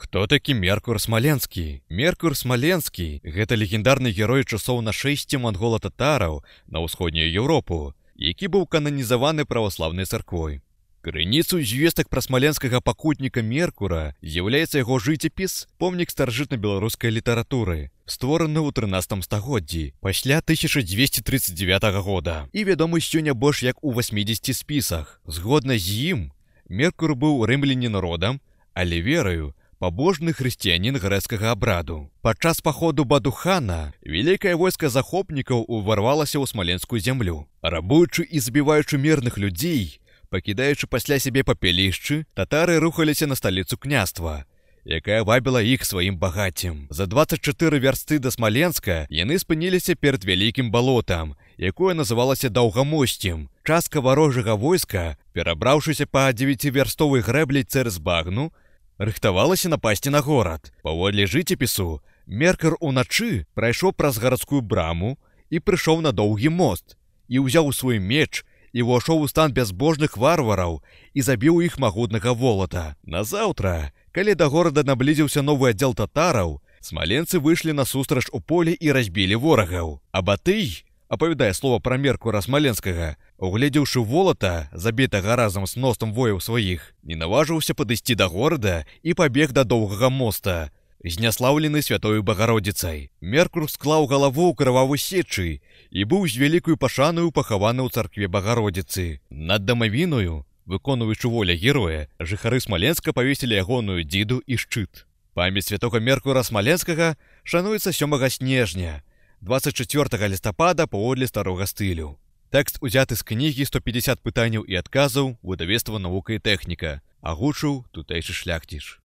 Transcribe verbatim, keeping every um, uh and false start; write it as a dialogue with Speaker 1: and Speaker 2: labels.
Speaker 1: Хто такі Меркур Смаленскі? Меркур Смаленскі – гэта легендарны герой часоў нашэсця мангола-татараў на ўсходнюю Еўропу, які быў кананізаваны праваслаўнай царквой. Крыніцу звестак пра смаленскага пакутніка Меркура з'яўляецца яго жыццяпіс, помнік старажытна-беларускай літаратуры, створаны ў трынаццатым стагоддзі пасля тысяча дзвесце трыццаць дзевятага года і вядомы сёння больш як у васьмідзесяці спісах. Згодна з ім, Меркур быў рымлянін родам, але вераю пабожны хрысціянін грэцкага абраду. Падчас паходу Бадухана вялікае войска захопнікаў уварвалася ў смаленскую зямлю. Рабуючы і забіваючы мірных людзей, пакідаючы пасля сябе папялішчы, татары рухаліся на сталіцу княства, якая вабіла іх сваім багаццем. За дваццаць чатыры вярсты да Смаленска яны спыніліся перад вялікім балотам, якое называлася Даўгамосцем. Частка варожага войска, перабраўшыся па дзевяцівярстовай грэблі цераз багну, рыхтавалася напасці на горад. Паводле жыццяпісу, Меркур уначы прайшоў праз гарадскую браму і прыйшоў на доўгі мост, і ўзяў свой меч і ўвайшоў у стан бязбожных варвараў і забіў іх магутнага волата. Назаўтра, калі да горада наблізіўся новы аддзел татараў, смаленцы выйшлі насустрач у поле і разбілі ворагаў. А Батый, апавядае слова пра Меркура Смаленскага, угледзеўшы волата, забітага разам з мноствам вояў сваіх, не наважыўся падысці да горада і пабег да доўгага моста, зняслаўлены святою Багародзіцай. Меркур склаў галаву ў крывавой сечы і быў з вялікаю пашанаю пахаваны ў царкве Багародзіцы. Над дамавіною, выконваючы воля героя, жыхары Смаленска павесілі ягоную дзіду і шчыт. Памяць святога Меркура Смаленскага шануецца сёмага снежня, дваццаць чацвёртага лістапада паводле старога стылю. Тэкст узяты з кнігі сто пятьдесят пытанняў і адказаў выдавецтва «Навука і тэхніка». Агучыў тутэйшы шляхціш.